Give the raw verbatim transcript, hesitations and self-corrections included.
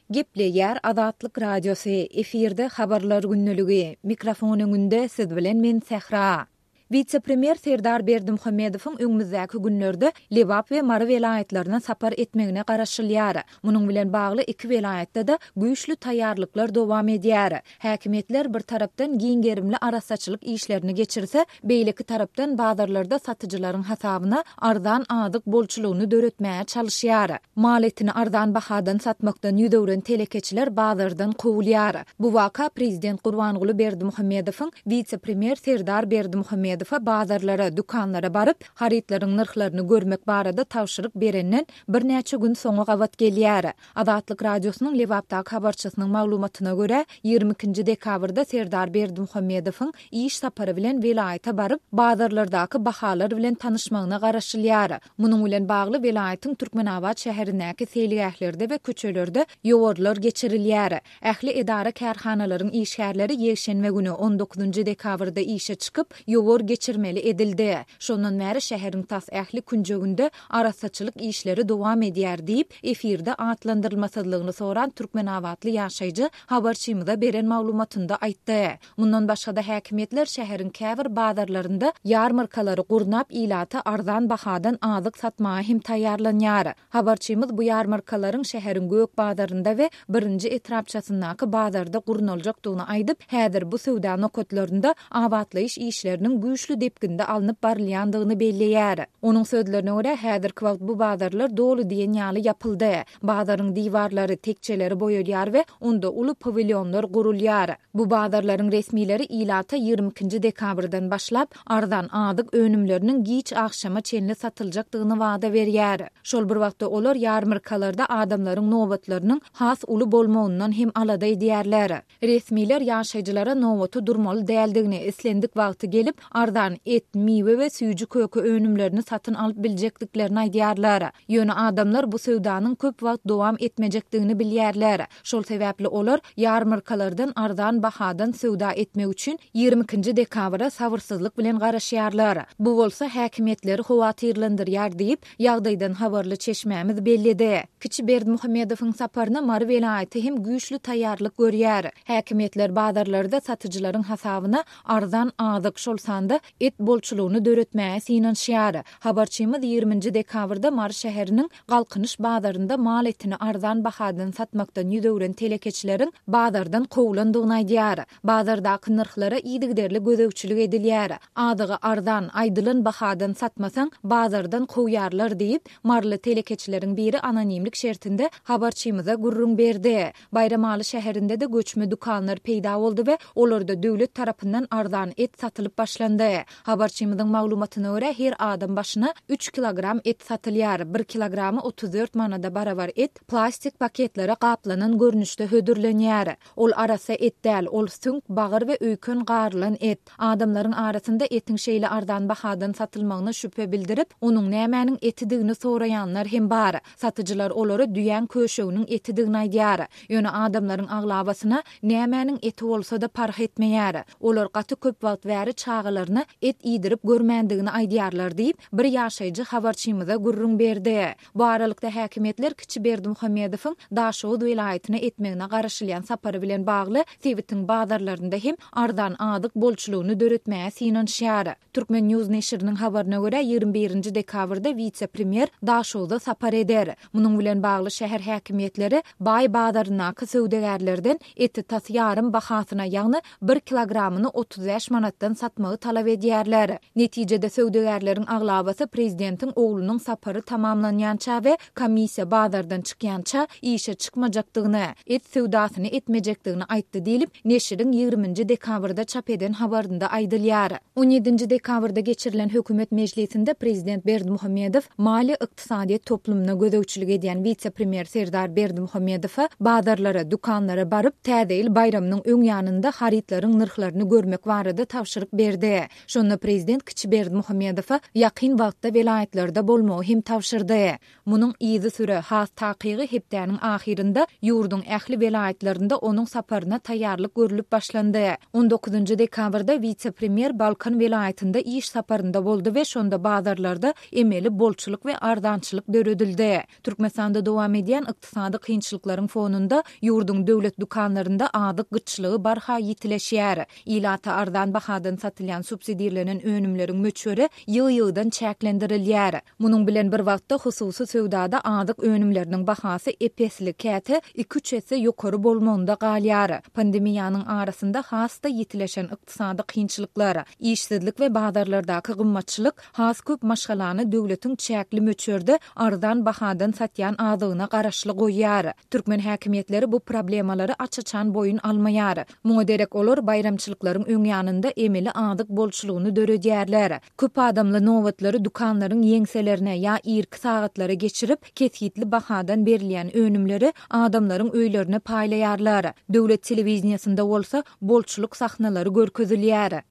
Gepleýär Azatlyk Radiosy, efirde Habarlar gündeligi, mikrofon öňünde siz bilen men Sähra. Wise-premýer Serdar Berdimuhamedowyň öňümizdäki günlerde Lebap we Mary welaýatlaryna sapar etmegine garaşylýar. Munuň bilen bagly iki welaýatda-da güýçli taýýarlyklar dowam edýär. Häkimiýetler bir tarapdan giň gerimli arassaçylyk işlerini geçirse, beýleki tarapdan bazarlarda satyjylaryň hasabyna arzan azyk bolçulygyny döretmäge çalyşýar. Mal etini arzan bahadan satmakdan ýüz öwren telekeçiler bazardan kowulýar. Bu waka prezident Gurbanguly Berdimuhamedowyň wise-premýer Serdar Berdimuhamedowa bazarlara, dükanlara baryp, harytlaryň nyrhlaryny görmek barada tabşyryk berenden birnäçe gün soňa gabat gelýär. Azatlyk Radiosynyň Lebapdaky habarçysynyň maglumatyna görä, ýigrimi ikinji dekabrda Serdar Berdimuhamedowyň iş sapary bilen welaýata baryp, bazarlardaky bahalar bilen tanyşmagyna garaşylýar. Munuň bilen bagly welaýatyň Türkmenabat şäherindäki seýilgählerde we köçelerde ýowarlar geçirilýär. Ähli edara-kärhanalaryň işgärleri ýekşenbe güni, on dokuzynjy dekabrda işe çykyp, ýowar geçirmeli edildi. Şondan bäri şäheriň tas ähli künjeginde arassaçylyk işleri dowam edýär diýip, efirde atlandyrylmasyzlygyny soran türkmenabatly ýaşaýjy habarçymyza beren maglumatynda aýtdy. Mundan başga-da häkimiýetler şäheriň käbir bazarlarynda ýarmarkalary gurnap, ilata arzan bahadan azyk satmaga hem taýýarlanýar. Habarçymyz bu ýarmarkalaryň şäheriň Gök bazarynda we birinji etrapçasyndaky bazarda gurnaljakdygyny aýdyp, häzir bu söwda nokatlarynda abatlaýyş işleriniň güýçli depginde alnyp barylýandygyny belleýär. Onuň sözlerine görä, häzirki wagt bu bazarlar doly diýen ýaly ýapyldy. Bazaryň diwarlary, tekjeleri boýalýar we onda uly pawilýonlar gurulýar. Bu bazarlaryň resmileri ilata ýigrimi ikinji dekabrdan başlap arzan azyk önümleriniň giç agşama çenli satyljakdygyny wada berýär. Şol bir wagtda olar ýarmarkalarda adamlaryň nobatlarynyň has uly bolmagyndan hem alada edýärler. Resmiler ýaşaýjylara nobaty durmaly däldigini, islendik wagty gelip arzan et, miwe we süýji köke önümlerini satyn alyp biljekdiklerini aýdýarlar. Ýöne adamlar bu söwdanyň köp wagt dowam etmejekdigini bilýärler. Şol sebäpli olar ýarmarkalardan arzan bahadan söwda etmek üçin ýigrimi ikinji dekabra sabyrsyzlyk bilen garaşýarlar. Bu bolsa häkimiýetleri howatyrlandyrýar diýip, ýagdaýdan habarly çeşmämiz belledi. Kiçi Berdimuhamedowyň saparyna Mary welaýaty hem güýçli taýýarlyk görýär. Häkimiýetler bazarlarda satyjylaryň hasabyna arzan azyk, şol sanda et bolçulygyny döretmäge synanyşýar. Habarçymyz ýigriminji dekabrda Mary şäheriniň Galkynyş bazarynda mal etini arzan bahadan satmakdan ýüz öwren telekeçileriň bazardan kowulandygyny aýdýar. Bazardaky nyrhlara yzygiderli gözegçilik edilýär. Azygy arzan, aýdylan bahadan satmasaň, bazardan kowýarlar diýip, Maryly telekeçileriň biri anonimlik şertinde habarçymyza gürrüň berdi. Baýramaly şäherinde de göçme dükanlar peýda boldy we olarda döwlet tarapyndan arzan et satylyp başlandy. Habarçymyzyň maglumatyna görä, her adam başyna üç kilogram et satylýar. Bir kilogramy otuz dört manada barabar et plastik paketlere gaplanan görnüşde hödürlenýär. Ol arassa et däl, ol süňk, bagyr we öýken garylan et. Adamlaryň arasynda etiň şeýle arzan bahadan satylmagyna şübhe bildirip, onuň nämäniň etidigini soraýanlar hem bar. Satyjylar olara düýäň köşeginiň etidigini aýdýar. Ýöne adamlaryň aglabasyna nämäniň eti bolsa-da parh etmeýär. Olar gaty köp wagt bäri çagalaryna et iýdirip görmändigini aýdýarlar diýip, bir ýaşaýjy habarçymyza gürrüň berdi. Bu aralykda häkimiýetler Kiçi Berdimuhamedowyň Daşoguz welaýatyna etmegine garaşylýan sapary bilen bagly sebitiň bazarlarynda hem arzan azyk bolçulygyny döretmäge synanyşýar. Türkmen News neşiriniň habaryna görä, ýigrimi birinji dekabrda wise-premýer Daşoguzda sapar eder. Munuň bilen bagly şäher häkimiýetleri baý bazaryndaky söwdagärlerden eti tas ýarym bahasyna, ýagny bir kilogramyny otuz bäş manatdan satmagy talap edýärler. Netijede söwdagärleriň aglabasy prezidentiň oglunyň sapary tamamlanýança we komissiýa bazardan çykýança işe çykmajakdygyny, et söwdasyny etmejekdigini aýtdy diýlip, neşiriň ýigriminji dekabrda çap eden habarynda aýdylýar. On ýedinji dekabrda geçirilen hökümet mejlisinde prezident Berdimuhamedow maliýe ykdysadyýet toplumyna gözegçilik edýän wise-premýer Serdar Berdimuhamedowa bazarlara, dükanlara baryp, Täze ýyl baýramynyň öň ýanynda harytlaryň nyrhlaryny görmek barada tabşyryk berdi. etdi. Şonda prezident kiçi Berdimuhamedowa ýakyn wagtda welaýatlarda bolmagy hem tabşyrdy. Munuň yzysüre, has takygy hepdäniň ahyrynda ýurduň ähli welaýatlarynda onuň saparyna taýýarlyk görlüp başlandy. On dokuzynjy dekabrda wise-premýer Balkan welaýatynda iş saparynda boldy we şonda bazarlarda emeli bolçulyk we arzançylyk döredildi. Türkmenistanda dowam edýän ykdysady kynçylyklaryň fonunda ýurduň döwlet dükanlarynda azyk gytçylygy barha ýitileşýär. Ilata arzan bahadan satylýan subsidirlenen önümleriň möçberi ýygy-ýygydan çäklendirilýär. Munuň bilen bir wagtda hususy söwdada azyk önümleriniň bahasy ep-esli, käte iki-üç esse ýokary bolmagynda galýar. Pandemiýanyň arasynda has-da ýitileşen ykdysady kynçylyklar, işsizlik we bazarlardaky gymmatçylyk has köp maşgalany döwletiň çäkli möçberde arzan bahadan satýan azygyna garaşly goýýar. Türkmen häkimiýetleri bu problemalary aç-açan boýun almaýar. Muňa derek olar baýramçylyklaryň öň ýanynda emeli azyk bolçulygyny döredýärler. Köp adamly nobatlary dükanlaryň ýeňselerine ýa irki sagatlara geçirip, kesgitli bahadan berilýän önümleri adamlaryň öýlerine paýlaýarlar. Döwlet telewideniýesinde bolsa bolçulyk sahnalary görkezilýär.